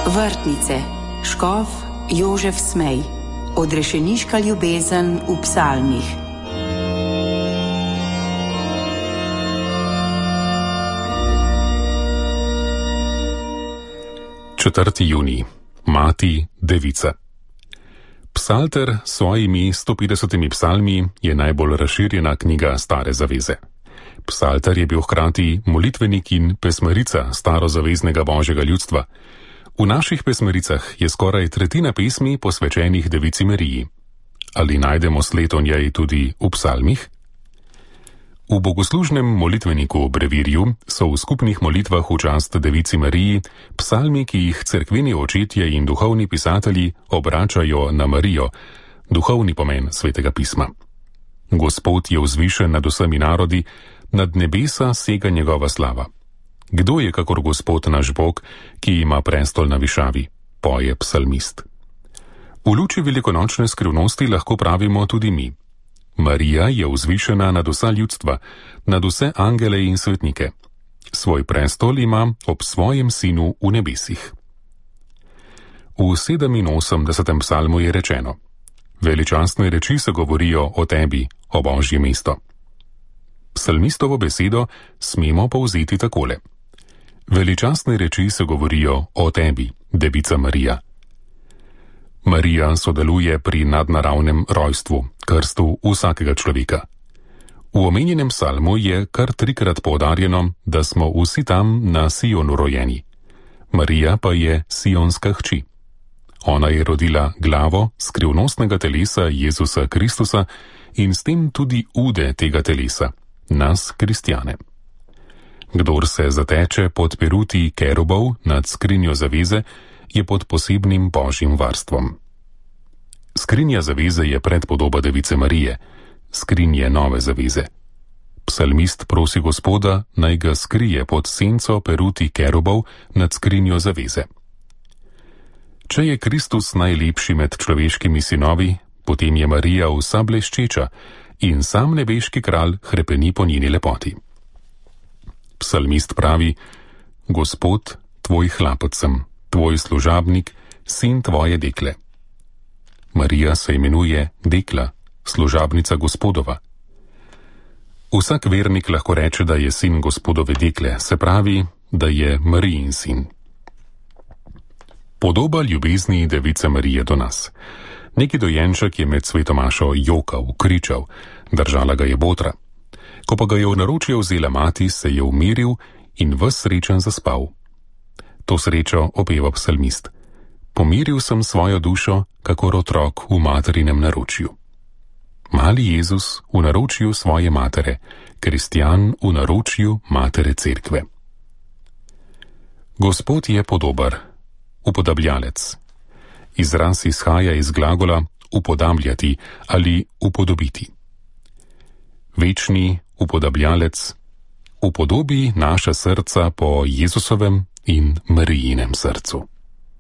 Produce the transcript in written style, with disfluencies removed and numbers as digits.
Vrtnice, škof Jožef Smej, odrešeniška ljubezen v psalmih. Četrti junij. Mati devica. Psalter s svojimi 150 psalmi je najbolj razširjena knjiga Stare zaveze. Psalter je bil hkrati molitvenik in pesmarica starozaveznega božjega ljudstva. V naših pesmaricah je skoraj tretjina pesmi posvečenih Devici Mariji. Ali najdemo sled o njej tudi v psalmih? V bogoslužnem molitveniku Brevirju so v skupnih molitvah v čast Devici Mariji psalmi, ki jih cerkveni očetje in duhovni pisatelji obračajo na Marijo, duhovni pomen svetega pisma. Gospod je vzvišen nad vsemi narodi, nad nebesa sega njegova slava. Kdo je kakor Gospod naš Bog, ki ima prestol na višavi, poje psalmist. V luči velikonočne skrivnosti lahko pravimo tudi mi. Marija je vzvišena nad vsa ljudstva, nad vse angele in svetnike. Svoj prestol ima ob svojem sinu v nebesih. V 87. psalmu je rečeno: Veličastne reči se govorijo o tebi, o Božje mesto. Psalmistovo besedo smemo povzeti takole: Veličastne reči se govorijo o tebi, Devica Marija. Marija sodeluje pri nadnaravnem rojstvu, krstu vsakega človeka. V omenjenem psalmu je kar 3-krat poudarjeno, da smo vsi tam na Sionu rojeni. Marija pa je sionska hči. Ona je rodila glavo skrivnostnega telesa Jezusa Kristusa in s tem tudi ude tega telesa, nas, kristjane. Kdor se zateče pod peruti kerubov nad skrinjo zaveze, je pod posebnim božjim varstvom. Skrinja zaveze je predpodoba Device Marije, skrinje nove zaveze. Psalmist prosi Gospoda, naj ga skrije pod senco peruti kerubov nad skrinjo zaveze. Če je Kristus najlepši med človeškimi sinovi, potem je Marija vsa bleščeča in sam nebeški kralj hrepeni po njeni lepoti. Psalmist pravi: Gospod, tvoj hlapec sem, tvoj služabnik, sin tvoje dekle. Marija se imenuje dekla, služabnica Gospodova. Vsak vernik lahko reče, da je sin Gospodove dekle, se pravi, da je Marijin sin. Podoba ljubezni Device Marije do nas. Neki dojenček je med sveto mašo jokal, kričal, držala ga je botra. Ko pa ga je v naročje vzela mati, se je umiril in ves srečen zaspal. To srečo opeva psalmist: Pomiril sem svojo dušo, kakor otrok v materinem naročju. Mali Jezus v naročju svoje matere, kristjan v naročju matere cerkve. Gospod je podobar, upodabljalec. Izraz izhaja iz glagola upodabljati ali upodobiti. Večni upodabljalec, upodobi naša srca po Jezusovem in Marijinem srcu.